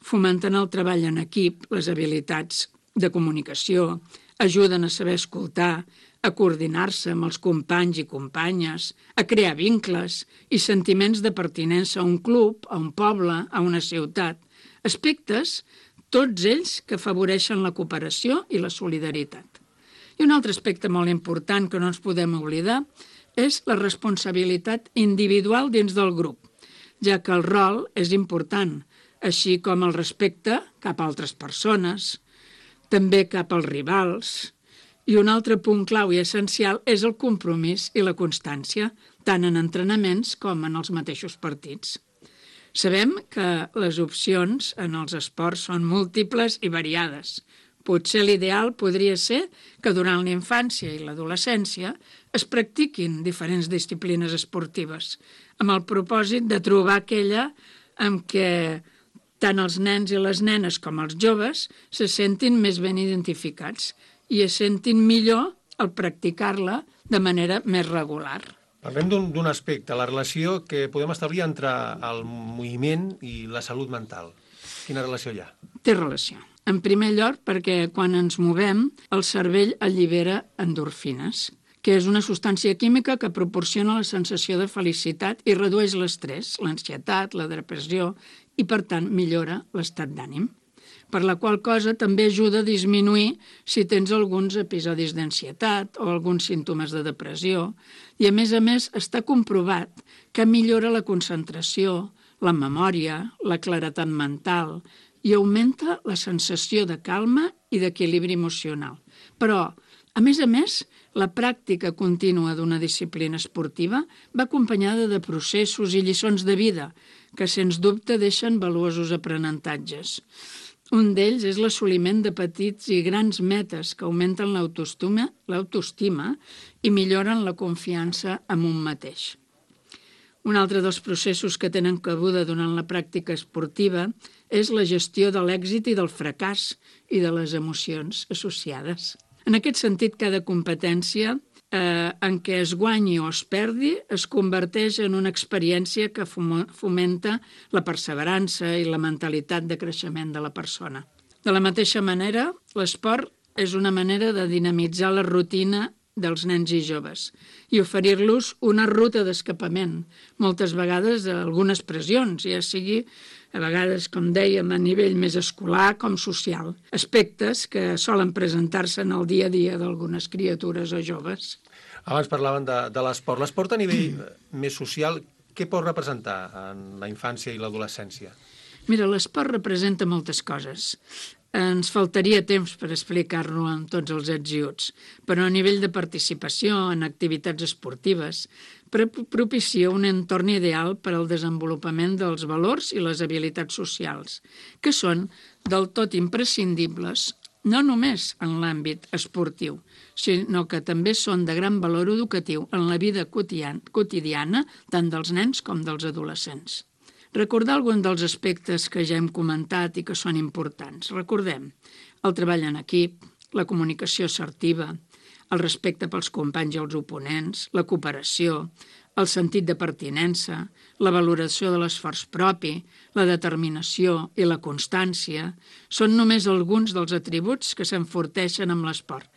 fomenten el treball en equip, les habilitats de comunicació, ajuden a saber escoltar, a coordinar-se amb els companys i companyes, a crear vincles i sentiments de pertinença a un club, a un poble, a una ciutat. Aspectes, tots ells que afavoreixen la cooperació i la solidaritat. I un altre aspecte molt important que no ens podem oblidar és la responsabilitat individual dins del grup, ja que el rol és important, així com el respecte cap a altres persones, també cap als rivals. I un altre punt clau i essencial és el compromís i la constància, tant en entrenaments com en els mateixos partits. Sabem que les opcions en els esports són múltiples i variades. Potser l'ideal podria ser que durant la infància i l'adolescència es practiquin diferents disciplines esportives, amb el propòsit de trobar aquella amb què tant els nens i les nenes com els joves se sentin més ben identificats i es sentin millor al practicar-la de manera més regular. Parlem d'un aspecte, la relació que podem establir entre el moviment i la salut mental. Quina relació hi ha? Té relació. En primer lloc, perquè quan ens movem, el cervell allibera endorfines, que és una substància química que proporciona la sensació de felicitat i redueix l'estrès, l'ansietat, la depressió i, per tant, millora l'estat d'ànim. Per la qual cosa també ajuda a disminuir si tens alguns episodis d'ansietat o alguns símptomes de depressió i, a més, està comprovat que millora la concentració, la memòria, la claretat mental i augmenta la sensació de calma i d'equilibri emocional. Però, a més, la pràctica contínua d'una disciplina esportiva va acompanyada de processos i lliçons de vida que, sens dubte, deixen valuosos aprenentatges. Un d'ells és l'assoliment de petits i grans metes que augmenten l'autoestima i milloren la confiança en un mateix. Un altre dels processos que tenen cabuda durant la pràctica esportiva és la gestió de l'èxit i del fracàs i de les emocions associades. En aquest sentit, cada competència en què es guanyi o es perdi, es converteix en una experiència que fomenta la perseverança i la mentalitat de creixement de la persona. De la mateixa manera, l'esport és una manera de dinamitzar la rutina dels nens i joves i oferir-los una ruta d'escapament, moltes vegades algunes pressions, ja sigui a vegades, com dèiem, a nivell més escolar com social, aspectes que solen presentar-se en el dia a dia d'algunes criatures o joves. Abans parlaven de l'esport. L'esport a nivell més social, què pot representar en la infància i l'adolescència? Mira, l'esport representa moltes coses. Ens faltaria temps per explicar-lo amb tots els ets i uts, però a nivell de participació en activitats esportives propicia un entorn ideal per al desenvolupament dels valors i les habilitats socials, que són del tot imprescindibles no només en l'àmbit esportiu, sinó que també són de gran valor educatiu en la vida quotidiana tant dels nens com dels adolescents. Recordar alguns dels aspectes que ja hem comentat i que són importants. Recordem el treball en equip, la comunicació assertiva, el respecte pels companys i els oponents, la cooperació, el sentit de pertinença, la valoració de l'esforç propi, la determinació i la constància són només alguns dels atributs que s'enforteixen amb l'esport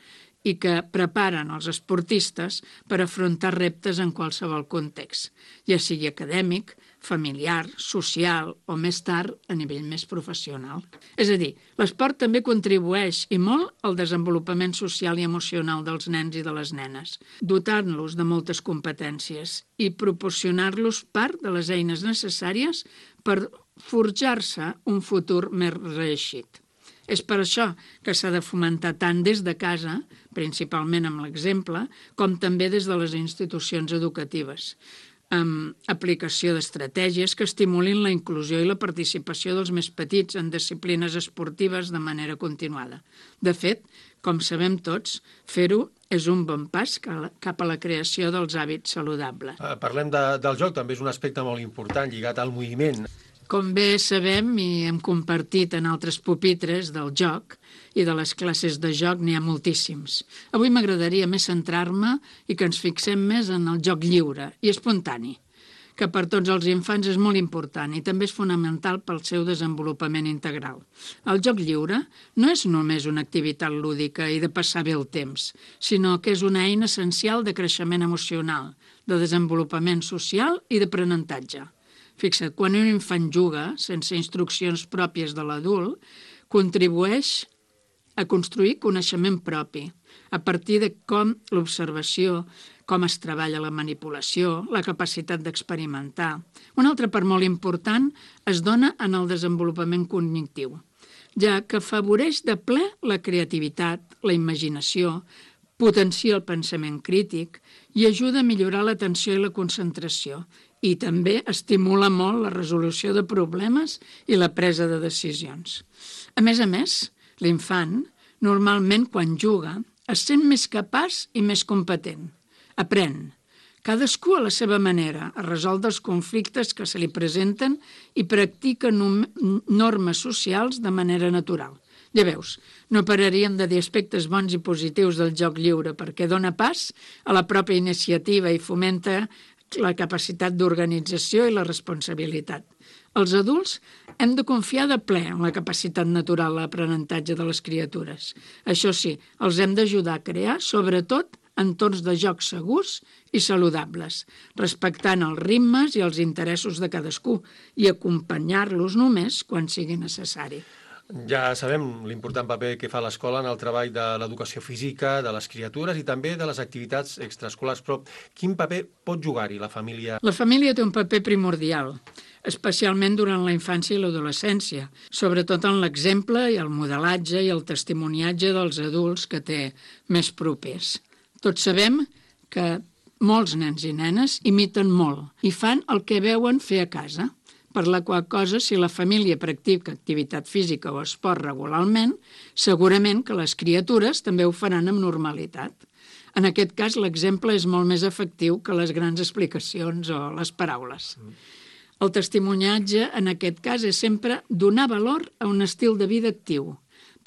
i que preparen els esportistes per afrontar reptes en qualsevol context, ja sigui acadèmic, familiar, social o més tard a nivell més professional. És a dir, l'esport també contribueix i molt al desenvolupament social i emocional dels nens i de les nenes, dotant-los de moltes competències i proporcionar-los part de les eines necessàries per forjar-se un futur més reeixit. És per això que s'ha de fomentar tant des de casa, principalment amb l'exemple, com també des de les institucions educatives, amb aplicació d'estratègies que estimulin la inclusió i la participació dels més petits en disciplines esportives de manera continuada. De fet, com sabem tots, fer-ho és un bon pas cap a la creació dels hàbits saludables. Parlem del joc, també és un aspecte molt important lligat al moviment. Com bé sabem i hem compartit en altres pupitres del joc i de les classes de joc n'hi ha moltíssims. Avui m'agradaria més centrar-me i que ens fixem més en el joc lliure i espontani, que per tots els infants és molt important i també és fonamental pel seu desenvolupament integral. El joc lliure no és només una activitat lúdica i de passar bé el temps, sinó que és una eina essencial de creixement emocional, de desenvolupament social i d'aprenentatge. Fixa't, quan un infant juga, sense instruccions pròpies de l'adult, contribueix a construir coneixement propi, a partir de com l'observació, com es treballa la manipulació, la capacitat d'experimentar. Una altra part molt important es dona en el desenvolupament cognitiu, ja que afavoreix de ple la creativitat, la imaginació, potencia el pensament crític i ajuda a millorar l'atenció i la concentració, i també estimula molt la resolució de problemes i la presa de decisions. A més, l'infant, normalment quan juga, es sent més capaç i més competent. Aprèn, cadascú a la seva manera, a resoldre els conflictes que se li presenten i practica normes socials de manera natural. Ja veus, no pararíem de dir aspectes bons i positius del joc lliure perquè dona pas a la pròpia iniciativa i fomenta la capacitat d'organització i la responsabilitat. Els adults hem de confiar de ple en la capacitat natural d'aprenentatge de les criatures. Això sí, els hem d'ajudar a crear, sobretot, entorns de jocs segurs i saludables, respectant els ritmes i els interessos de cadascú i acompanyar-los només quan sigui necessari. Ja sabem l'important paper que fa l'escola en el treball de l'educació física de les criatures i també de les activitats extraescolars, però quin paper pot jugar-hi la família? La família té un paper primordial, especialment durant la infància i l'adolescència, sobretot en l'exemple i el modelatge i el testimoniatge dels adults que té més propers. Tots sabem que molts nens i nenes imiten molt i fan el que veuen fer a casa, per la qual cosa, si la família practica activitat física o esport regularment, segurament que les criatures també ho faran amb normalitat. En aquest cas, l'exemple és molt més efectiu que les grans explicacions o les paraules. El testimoniatge, en aquest cas, és sempre donar valor a un estil de vida actiu.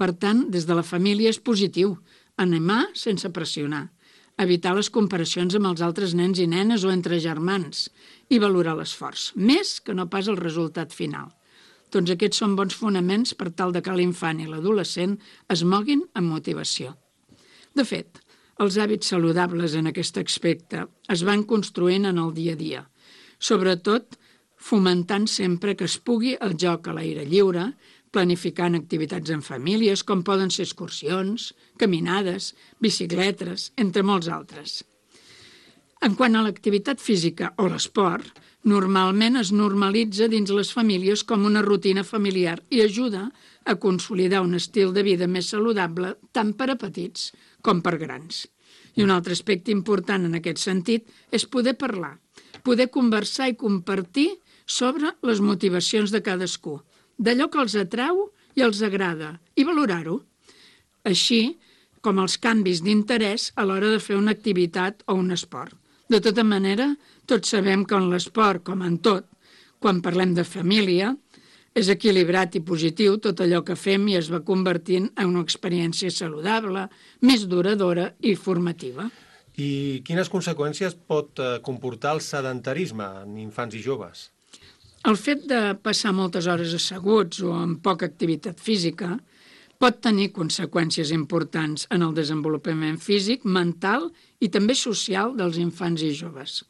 Per tant, des de la família és positiu, animar sense pressionar. evitar les comparacions amb els altres nens i nenes o entre germans i valorar l'esforç, més que no pas el resultat final. Doncs aquests són bons fonaments per tal de que l'infant i l'adolescent es moguin amb motivació. De fet, els hàbits saludables en aquest aspecte es van construint en el dia a dia, sobretot fomentant sempre que es pugui el joc a l'aire lliure, planificant activitats en famílies, com poden ser excursions, caminades, bicicletes, entre molts altres. En quant a l'activitat física o l'esport, normalment es normalitza dins les famílies com una rutina familiar i ajuda a consolidar un estil de vida més saludable tant per a petits com per grans. I un altre aspecte important en aquest sentit és poder parlar, poder conversar i compartir sobre les motivacions de cadascú, d'allò que els atrau i els agrada, i valorar-ho, així com els canvis d'interès a l'hora de fer una activitat o un esport. De tota manera, tots sabem que en l'esport, com en tot, quan parlem de família, és equilibrat i positiu tot allò que fem i es va convertint en una experiència saludable, més duradora i formativa. I quines conseqüències pot comportar el sedentarisme en infants i joves? El fet de passar moltes hores asseguts o amb poca activitat física pot tenir conseqüències importants en el desenvolupament físic, mental i també social dels infants i joves.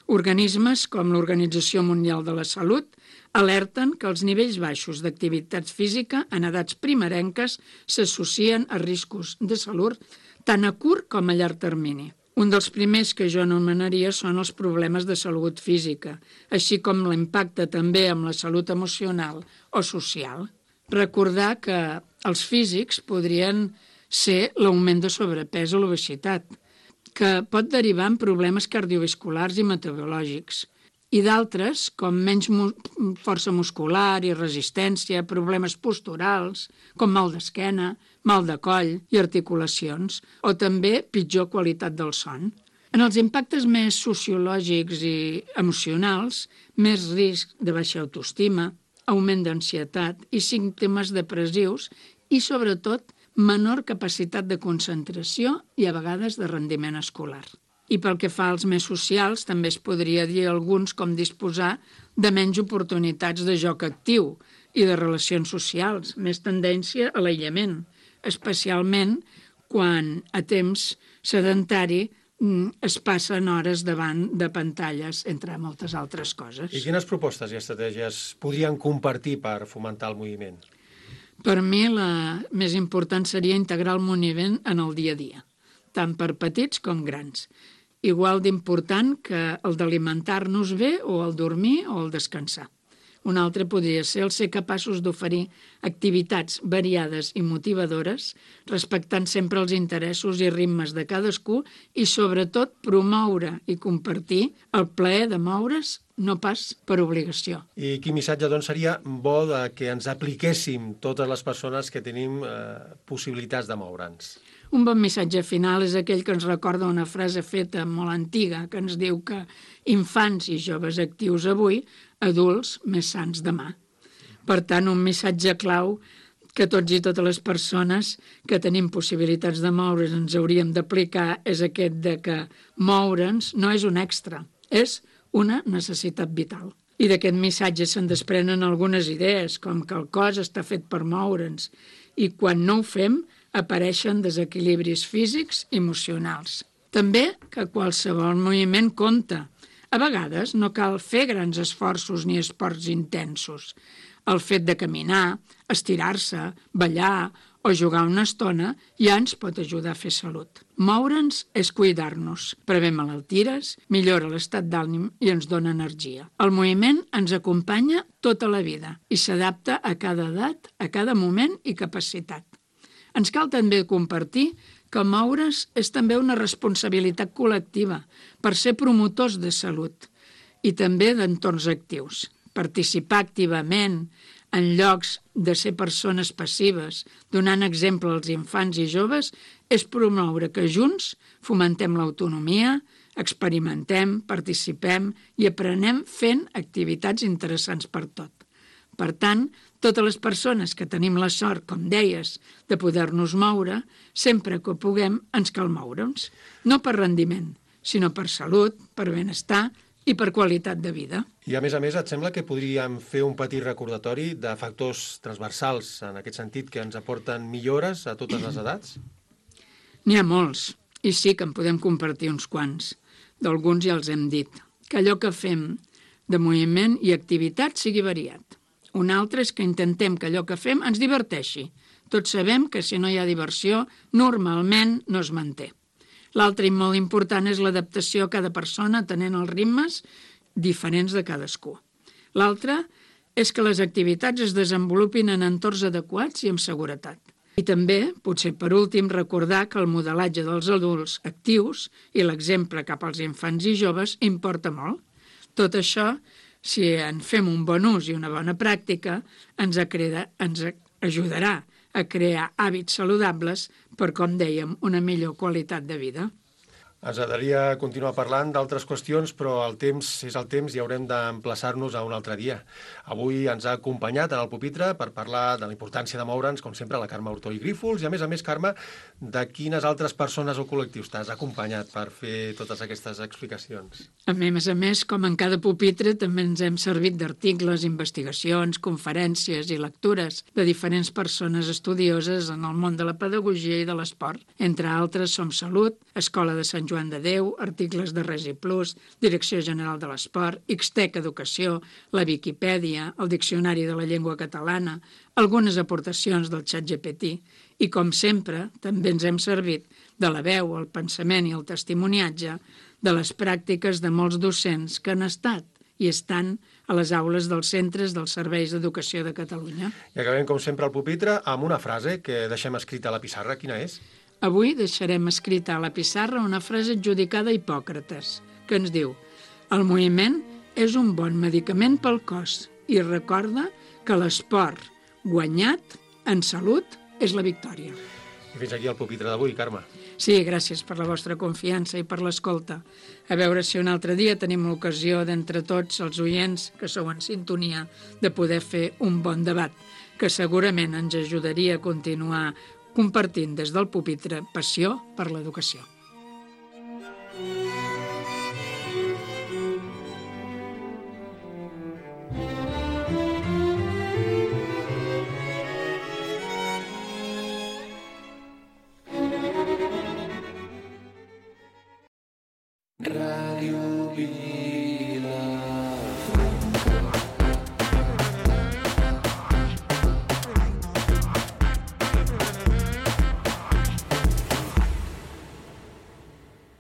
Organismes com l'Organització Mundial de la Salut alerten que els nivells baixos d'activitat física en edats primerenques s'associen a riscos de salut tant a curt com a llarg termini. Un dels primers que jo anomenaria són els problemes de salut física, així com l'impacte també amb la salut emocional o social. Recordar que els físics podrien ser l'augment de sobrepès o l'obesitat, que pot derivar en problemes cardiovasculars i metabòlics, i d'altres, com menys força muscular i resistència, problemes posturals, com mal d'esquena, mal de coll i articulacions, o també pitjor qualitat del son. En els impactes més sociològics i emocionals, més risc de baixa autoestima, augment d'ansietat i símptomes depressius i, sobretot, menor capacitat de concentració i, a vegades, de rendiment escolar. I pel que fa als més socials, també es podria dir alguns com disposar de menys oportunitats de joc actiu i de relacions socials, més tendència a l'aïllament, especialment quan a temps sedentari es passen hores davant de pantalles, entre moltes altres coses. I quines propostes i estratègies podrien compartir per fomentar el moviment? Per mi la més important seria integrar el moviment en el dia a dia, tant per petits com grans. Igual d'important que el d'alimentar-nos bé o el dormir o el descansar. Un altre podria ser el ser capaços d'oferir activitats variades i motivadores, respectant sempre els interessos i ritmes de cadascú i, sobretot, promoure i compartir el plaer de moure's, no pas per obligació. I quin missatge, doncs, seria bo que ens apliquéssim totes les persones que tenim possibilitats de moure'ns? Un bon missatge final és aquell que ens recorda una frase feta molt antiga que ens diu que infants i joves actius avui, adults més sants demà. Per tant, un missatge clau que tots i totes les persones que tenim possibilitats de moure's ens hauríem d'aplicar és aquest de que moure'ns no és un extra, és una necessitat vital. I d'aquest missatge se'n desprenen algunes idees, com que el cos està fet per moure'ns i quan no ho fem apareixen desequilibris físics i emocionals. També que qualsevol moviment compta. A vegades no cal fer grans esforços ni esports intensos. El fet de caminar, estirar-se, ballar o jugar una estona ja ens pot ajudar a fer salut. Moure'ns és cuidar-nos, prevé malalties, millora l'estat d'ànim i ens dona energia. El moviment ens acompanya tota la vida i s'adapta a cada edat, a cada moment i capacitat. Ens cal també compartir que moure's és també una responsabilitat col·lectiva per ser promotors de salut i també d'entorns actius. Participar activament en llocs de ser persones passives, donant exemple als infants i joves, és promoure que junts fomentem l'autonomia, experimentem, participem i aprenem fent activitats interessants per tot. Per tant, Totes les persones que tenim la sort, com deies, de poder-nos moure, sempre que puguem ens cal moure'ns. No per rendiment, sinó per salut, per benestar i per qualitat de vida. I a més, et sembla que podríem fer un petit recordatori de factors transversals, en aquest sentit, que ens aporten millores a totes les edats? N'hi ha molts, i sí que en podem compartir uns quants. D'alguns ja els hem dit. Que allò que fem de moviment i activitat sigui variat. Un altre és que intentem que allò que fem ens diverteixi. Tots sabem que si no hi ha diversió, normalment no es manté. L'altre i molt important és l'adaptació a cada persona tenint els ritmes diferents de cadascú. L'altre és que les activitats es desenvolupin en entorns adequats i amb seguretat. I també, potser per últim, recordar que el modelatge dels adults actius i l'exemple cap als infants i joves importa molt. Tot això, si en fem un bon ús i una bona pràctica, ens ajudarà a crear hàbits saludables per, com dèiem, una millor qualitat de vida. Ens agradaria continuar parlant d'altres qüestions, però el temps és el temps i haurem d'emplaçar-nos a un altre dia. Avui ens ha acompanyat en el pupitre per parlar de la importància de moure'ns, com sempre, la Carme Hurtó i Grífols, i a més, Carme, de quines altres persones o col·lectius t'has acompanyat per fer totes aquestes explicacions? A més, com en cada pupitre, també ens hem servit d'articles, investigacions, conferències i lectures de diferents persones estudioses en el món de la pedagogia i de l'esport. Entre altres, Som Salut, Escola de Sant Joan de Déu, articles de Resi Plus, Direcció General de l'Esport, Xtec Educació, la Viquipèdia, el Diccionari de la Llengua Catalana, algunes aportacions del ChatGPT i, com sempre, també ens hem servit de la veu, el pensament i el testimoniatge de les pràctiques de molts docents que han estat i estan a les aules dels centres dels serveis d'educació de Catalunya. I acabem, com sempre, al pupitre amb una frase que deixem escrita a la pissarra. Quina és? Avui deixarem escrita a la pissarra una frase adjudicada a Hipòcrates, que ens diu: el moviment és un bon medicament pel cos i recorda que l'esport guanyat en salut és la victòria. I fins aquí el pupitre d'avui, Carme. Sí, gràcies per la vostra confiança i per l'escolta. A veure si un altre dia tenim l'ocasió d'entre tots els oients que sou en sintonia de poder fer un bon debat, que segurament ens ajudaria a continuar compartint des del pupitre passió per l'educació. Radio